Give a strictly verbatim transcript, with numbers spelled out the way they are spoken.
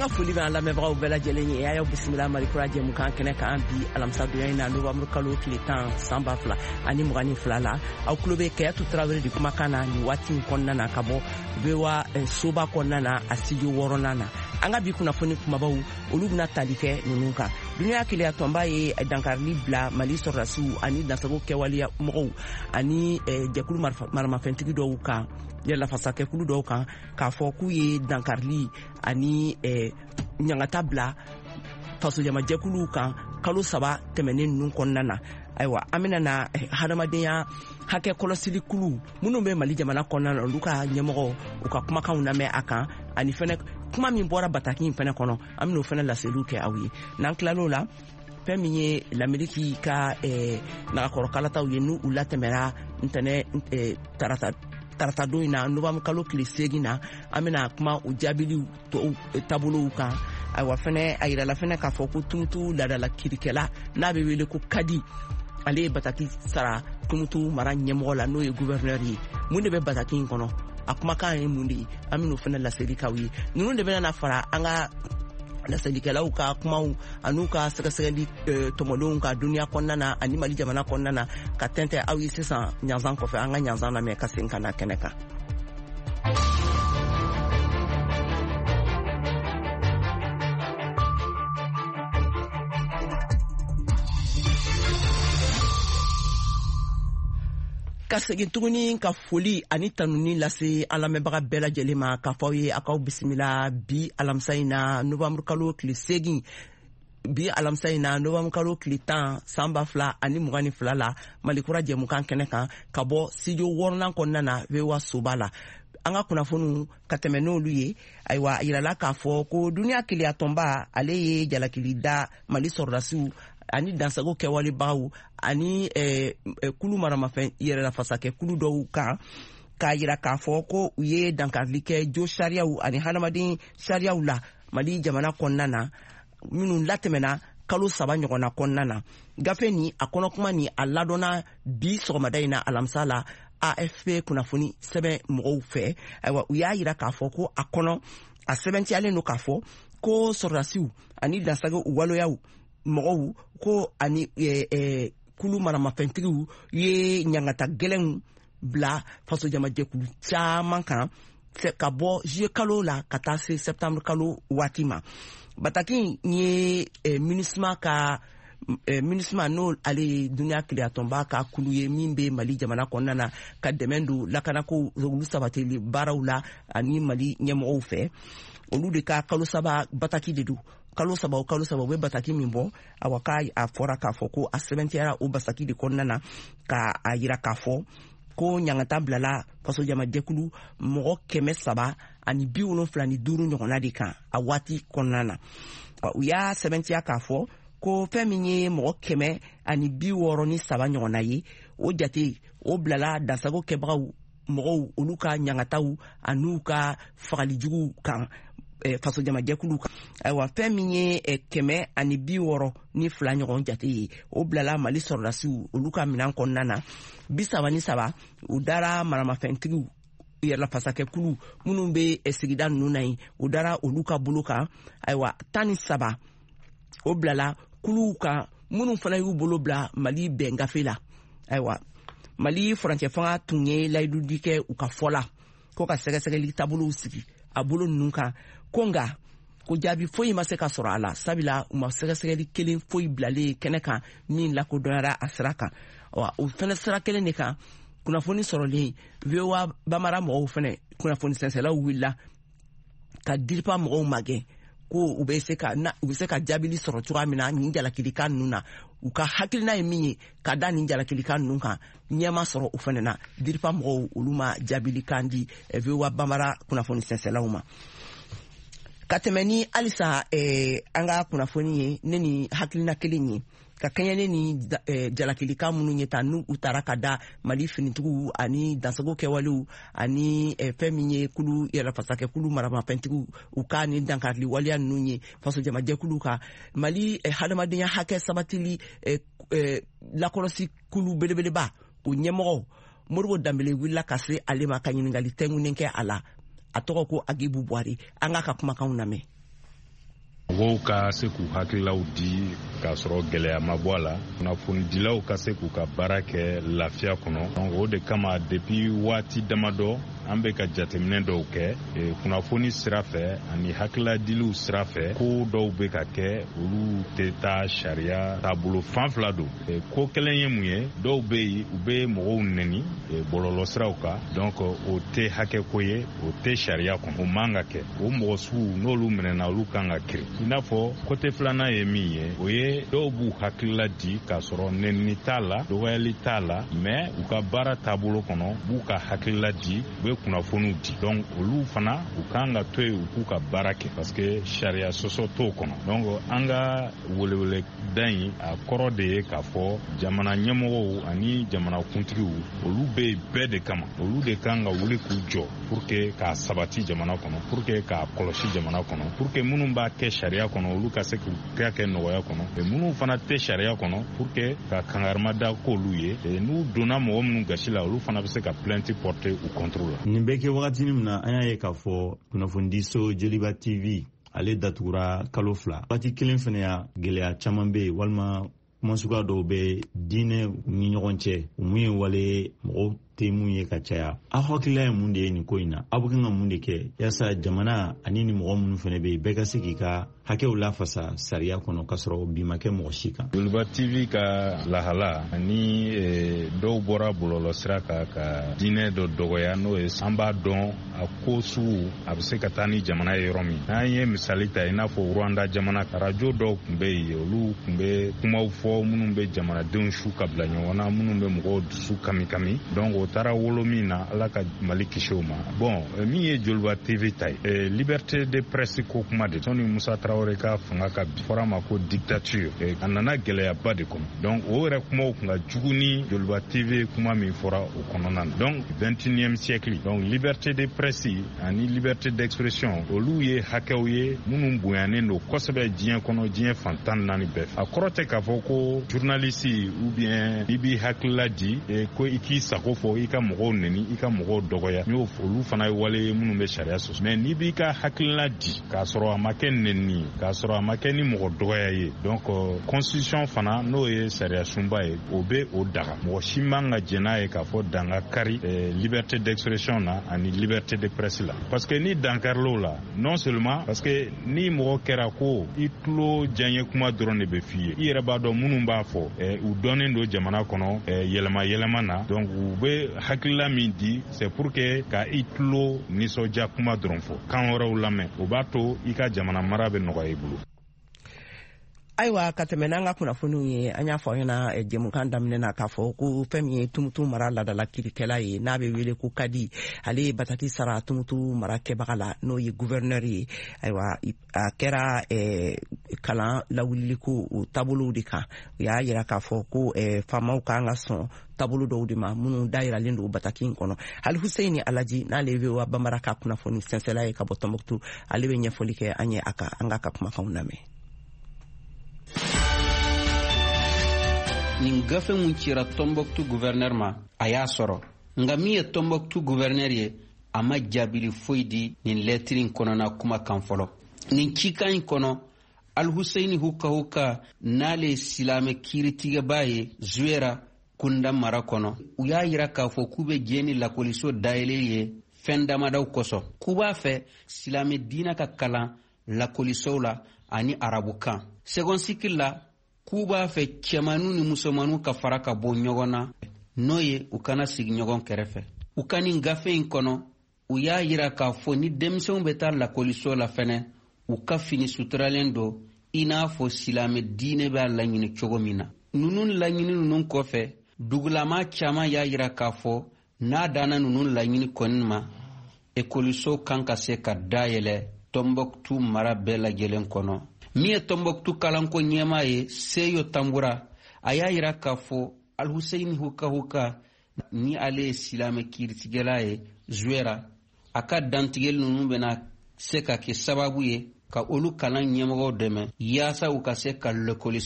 An ka foli bɛ an lamɛnbagaw bɛɛ lajɛlen ye. A y'aw bisimila Malikura jɛmukan kɛnɛ kan bi alamisadonya in na, novembre kalo tile tan, san ba fila ani mugan ni fila la. Aw tulo bɛ Kayatu Tarawele de kumakan na nin waati in kɔnɔna na, ka bɔ V O A soba kɔnɔna na, a studio wɔɔrɔnan na. An ka bi kunnafoni kumabaw, olu bɛna tali kɛ ninnu kan: Duniya keleya tɔnba ye dankarili bila Mali sɔrɔdasiw ani dansago kɛwaleya mɔgɔw ani jɛkulu maramafɛntigi dɔw kan, yɛrɛlafasakɛkulu dɔw kan, k'a fɔ k'u ye dankarili ani ɲangata bila fasojamajɛkuluw kan kalo saba tɛmɛnen ninnu kɔnɔna na. Ayiwa, an bɛna na hadamadenya hakɛ kɔlɔsili kulu minnu bɛ Mali jamana kɔnɔna na, olu ka ɲɛmɔgɔ u ka kumakanw lamɛn a kan, ani fɛnɛ kuma min bɔra bataki in fɛnɛ kɔnɔ, an bɛn'o fɛnɛ laseliw kɛ aw ye. N'an tilal'o la, fɛn min ye Lameriki ka nagakɔrɔkalataw ye, n'u latɛmɛra ntɛnɛ tarata taratadon in na, novembre kalo tile seegin na, an bɛna kuma o jaabiliw tɔw taabolow kan. Ayiwa, fɛnɛ a yirala fɛnɛ k'a fɔ ko Tumutu laadala kirikɛla n'a bɛ wele ko Kadi, ale ye bataki sara Tumutu mara ɲɛmɔgɔ la, n'o ye gouverneur ye. Mun de bɛ bataki in kɔnɔ? A kumakan ye mun de ye? An bɛn'o fɛnɛ laseli k'aw ye. Ninnu de bɛna na fara an ka laselikɛlaw ka kumaw an'u ka sɛgɛsɛgɛli tɔmɔlenw ka duniya kɔnɔna na ani Mali jamana kɔnɔna na ka tɛntɛ aw ye sisan ɲanzan kɔfɛ. An ka ɲanzan lamɛn ka segin ka na kɛnɛ kan. Ka segin tuguni ka foli ani tanuni lase an lamɛnbaga bɛɛ lajɛlen ma, k'a fɔ aw ye a k'aw bisimila bi alamisa in na, novembre kalo tile seegin, bi alamisa in na, novembre kalo tile tan, san ba fila ani mugan ni fila la, Malikura jɛmukan kɛnɛ kan, ka bɔ studio wɔɔrɔnan kɔnɔna na, V O A soba la. An ka kunnafoniw ka tɛmɛ n'olu ye. Ayiwa, a yirala k'a fɔ ko duniya keleya tɔnba, ale ye jalakili da Mali sɔrɔdasiw ani dansago kɛwalebagaw ani eh, kulu maramafɛn yɛrɛlafasakɛ kulu dɔw kan, k'a yira k'a fɔ ko u ye dankarili kɛ jo sariyaw ani hadamaden sariyaw la Mali jamana kɔnɔna na, minnu latɛmɛna kalo saba ɲɔgɔnna kɔnɔna na. Gafe ni a kɔnɔkuma ni a ladɔnna bi sɔgɔmada in na, alamisa la, A F P kunnafoni sɛbɛn mɔgɔw fɛ. Ayiwa, u y'a yira k'a fɔ ko a kɔnɔ a sɛbɛntiyalen don k'a fɔ ko sɔrɔdasiw ani dansago waleyaw mɔgɔw ko ani eh, eh, kulu maramafɛntigiw ye ɲangata gɛlɛnw bila fasojamajɛkulu caman kan ka bɔ juillet kalo la ka taa se septembre kalo waati ma. Bataki in ye eh, MINUSMA ka eh, MINUSMA, n'o ale ye duniya keleyatɔnba ka kulu ye min bɛ Mali jamana kɔnɔna na ka dɛmɛ don lakanako olu sabatili baaraw la ani Mali ɲɛmɔgɔw fɛ, olu de ka kalo saba bataki de don. Kalo saba o kalo saba, u bɛ bataki min bɔ. Awa, k'a a fɔra k'a fɔ ko a sɛbɛntiyara o bataki de kɔnɔna na ka a yira k'a fɔ ko ɲangata bilala fasojamajɛkulu mɔgɔ kɛmɛ saba ani bi wolonfila ni duuru ɲɔgɔnna de kan a waati kɔnɔna na. U y'a sɛbɛntiya k'a fɔ ko fɛn min ye mɔgɔ kɛmɛ ani bi wɔɔrɔ ni saba ɲɔgɔnna ye, o jate o bilala dansago kɛbagaw mɔgɔw olu ka ɲangataw an'u ka fagalijuguw kan fasojamajɛkulu kan. Ayiwa, fɛn min ye kɛmɛ ani bi wɔɔrɔ ni fila ɲɔgɔn jate ye, o bilala Mali sɔrɔdasiw olu ka minɛn kɔnɔna na. Bi saba ni saba, u dara maramafɛntigiw yɛrɛlafasakɛkulu minnu bɛ sigida ninnu na yen, u dara olu ka bolo kan. Ayiwa, tan ni saba, o bilala kuluw kan minnu fana y'u bolo bila Mali bɛn gafe la. Ayiwa, Mali furancɛ fanga tun ye layidudi kɛ u ka fɔ la ko ka sɛgɛsɛgɛli taabolow sigi a bolo ninnu kan, ko nka ko jaabi foyi ma se ka sɔrɔ a la, sabula u ma sɛgɛsɛgɛli kelen foyi bilalen kɛnɛ kan min lakodɔnyara a sira kan. Wa o fɛnɛ sira kelen de kan, kunnafoni sɔrɔlen, V O A Bamara mɔgɔw fɛnɛ kunnafoni sɛnsɛlaw wulila ka DIRPA mɔgɔw magɛn ko u bɛ se ka u bɛ se ka jaabili sɔrɔ cogoya min na nin jalakilikan ninnu na, u ka hakilina ye min ye ka da nin jalakilikan ninnu kan. Ɲɛma sɔrɔ o fɛnɛ na. DIRPA mɔgɔw, olu ma jaabilikan di V O A Bamara kunnafoni sɛnsɛlaw ma. Ka tɛmɛ ni halisa eh, an ka kunnafoni ye, ne ni hakilina kelen ye ka kɛɲɛ ne ni eh, jalakilikan minnu ye ta n'u u taara ka da Mali finitigiw ani dansago kɛwalew ani eh, fɛn min ye kulu yɛrɛfasakɛ kulu maramafɛntigiw u ka ni dankarili waleya ninnu ye fasojamajɛkulu kan. Mali eh, hadamadenya hakɛ sabatili eh, eh, lakɔlɔsi kulu belebeleba, o ɲɛmɔgɔ Modibo Danbele wulila ka se ale ma ka ɲininkali tɛngunnen kɛ a la. A tɔgɔ ko Agibu Buwari. An k'a ka kumakanw lamɛn. Mɔgɔw ka se k'u hakililaw di k'a sɔrɔ gɛlɛya ma bɔ a la, kunnafonidilaw ka se k'u ka baara kɛ lafiya kɔnɔ. Donc o de kama, depuis waati damadɔ, an bɛ ka jateminɛ dɔw kɛ kunnafoni sira fɛ ani hakiladiliw sira fɛ. Ko dɔw bɛ ka kɛ, olu tɛ taa sariya taabolo fan fila don. Ko kelen ye mun ye? Dɔw bɛ yen, u bɛ mɔgɔw nɛni bɔlɔlɔ siraw kan. Donc o tɛ hakɛ ko ye, o tɛ sariya kɔnɔ, o man ka kɛ. O mɔgɔ sugu, n'olu minɛna, olu kan ka kiri. I n'a fɔ côté filanan ye min ye, o ye dɔw b'u hakilila di k'a sɔrɔ nɛnini t'a la, dɔgɔyali t'a la, mais u ka baara taabolo kɔnɔ, u b'u ka hakilila di, u bɛ kunnafoniw di. Donc olu fana, u kan ka to yen, u k'u ka baara kɛ, parce que sariya sɔsɔ t'o kɔnɔ. Donc an ka welewele da in, a kɔrɔ de ye k'a fɔ jamana ɲɛmɔgɔw ani jamana kuntigiw, olu bɛ yen bɛɛ de kama. Olu de kan ka wuli k'u jɔ pour que k'a sabati jamana kɔnɔ, pour que k'a kɔlɔsi jamana kɔnɔ, pour que minnu b'a kɛ sariya kɔnɔ, olu ka se k'u kɛ kɛ nɔgɔya kɔnɔ, minnu fana tɛ sariya kɔnɔ, pour que ka kangarima da k'olu ye. N'u donna mɔgɔ minnu gasi la, olu fana bɛ se ka plainte porter u contre la. Nin bɛ kɛ wagatinin min na, an y'a ye k'a fɔ kunnafonidiso Joliba T V, ale datugura kalo fila. Waati kelen fana ya, gɛlɛya caman bɛ yen, walima kuma suguya dɔw bɛ diinɛ ni ɲɔgɔn cɛ, mun ye wale mɔgɔw tɛ mun ye ka caya. Aw hakilila ye mun de ye nin ko in na? Aw bɛ kan ka mun de kɛ yaasa jamana ani ni mɔgɔ minnu fana bɛ yen, bɛɛ ka se k'i ka hakɛw lafasa sariya kɔnɔ, k'a sɔrɔ bi ma kɛ mɔgɔ si kan? Joliba T V ka lahala ani dɔw bɔra bɔlɔlɔ sira kan ka diinɛ dɔ dɔgɔya, n'o ye, an b'a dɔn a ko sugu a bɛ se ka taa ni jamana ye yɔrɔ min. N'an ye misali ta, i n'a fɔ Rwanda jamana, arajo dɔw tun bɛ yen, olu tun bɛ kumaw fɔ minnu bɛ jamanadenw su ka bila ɲɔgɔn na, minnu bɛ mɔgɔw dusu kami kami. Donc o taara wolo min na, Ala ka Mali kisi o ma. Bon, min ye Joliba T V ta ye, liberté de presse ko kuma de, sɔnni Musa Tarawele ka fanga ka bi, fɔra ma ko dictature, a nana gɛlɛyaba de kɔnɔ. Donc o yɛrɛ kumaw tun ka jugu ni Joliba T V kuma min fɔra o kɔnɔna na. Donc vingt et unième siècle, donc liberté de presse ani liberté d'expression, olu ye hakɛw ye minnu bonyanen don kosɛbɛ diɲɛ kɔnɔ, diɲɛ fan tan naani bɛɛ fɛ. A kɔrɔ tɛ k'a fɔ ko journaliste ou bien i b'i hakilila di ko i k'i sago fɔ, i ka mɔgɔw neni, i ka mɔgɔw dɔgɔya. N y'o, olu fana ye wale ye minnu bɛ sariya sɔsɔ. Mais n'i b'i ka hakilila di k'a sɔrɔ a ma kɛ nɛni ye, k'a sɔrɔ a ma kɛ ni mɔgɔ dɔgɔya ye, donc constitution fana, n'o ye sariya sunba ye, o bɛ o daga. Mɔgɔ si man ka jɛn n'a ye k'a fɔ dan ka kari liberté d'expression na ani liberté de presse la, parce que ni dankaril'o la, non seulement parce que ni mɔgɔ kɛra ko i tulo diyaɲɛ kuma dɔrɔn de bɛ f'i ye, i yɛrɛ b'a dɔn minnu b'a fɔ, u dɔnnen don jamana kɔnɔ yɛlɛma yɛlɛma na. Donc u bɛ hakilila min di, c'est pour que ka i tulo nisɔndiya kuma dɔrɔn fɔ, kan wɛrɛw lamɛn. O b'a to i ka jamana mara bɛ nɔgɔya i bolo. Ayiwa, ka tɛmɛ n'an ka kunnafoniw ye, an y'a fɔ aw ɲɛna jɛmukan daminɛ na k'a fɔ ko fɛn min ye Tumutu mara ladala kirikɛla ye, n'a bɛ wele ko kadi, ale ye bataki sara Tumutu mara kɛbaga la, n'o ye gouverneur ye. Ayiwa, a kɛra kalan lawuliliko o taabolow de kan. U y'a yira k'a fɔ ko faamaw kan ka sɔn taabolo dɔw de ma minnu dayiralen don bataki in kɔnɔ. Hali Huseini Alaji, n'ale ye V O A Bambara ka kunnafoni sɛnsɛla ye ka bɔ Tɔnbɔkutu, ale bɛ ɲɛfɔli kɛ an ye a kan. An k'a ka kumakanw lamɛn. Nin gafe mun cira Tɔnbɔkutu gouverneur ma, a y'a sɔrɔ, nka min ye Tɔnbɔkutu gouverneur ye, a ma jaabili foyi di nin lɛtiri in kɔnɔna kuma kan fɔlɔ. Nin cikan in kɔnɔ, Alhuseini Hukahuka, n'ale ye silamɛ kiiritigɛba ye Zuwera kunda mara kɔnɔ, u y'a yira k'a fɔ k'u bɛ jɛ ni lakɔliso dayɛlɛ ye fɛn damadaw kosɔn, k'u b'a fɛ silamɛ diinɛ ka kalan lakɔlisow la ani arabukan second cycle la, k'u b'a fɛ cɛmanu ni musomanu ka fara ka bɔ ɲɔgɔn na, n'o ye u kana sigi ɲɔgɔn kɛrɛfɛ. U ka nin gafe in kɔnɔ, u y'a yira k'a fɔ ni denmisɛnw bɛ taa lakɔliso la fɛnɛ, u ka fini suturalen don i n'a fɔ silamɛ diinɛ b'a laɲini cogo min na. Ninnu laɲini ninnu kɔfɛ, dugulama caman y'a yira k'a fɔ n'a danna ninnu laɲini kɔni ma, ekɔliso kan ka se ka dayɛlɛ Tɔnbɔkutu mara bɛɛ lajɛlen kɔnɔ. Min ye Tɔnbɔkutu kalanko ɲɛmaa ye, Seyo Tanbura, a y'a yira k'a fɔ Alhuseini Hukahuka, ni ale ye silamɛ kiiritigɛla ye Zuwera, a ka dantigɛli ninnu bɛna se ka kɛ sababu ye ka olu kalan ɲɛmɔgɔw dɛmɛ yaasa u ka se ka lakɔlisow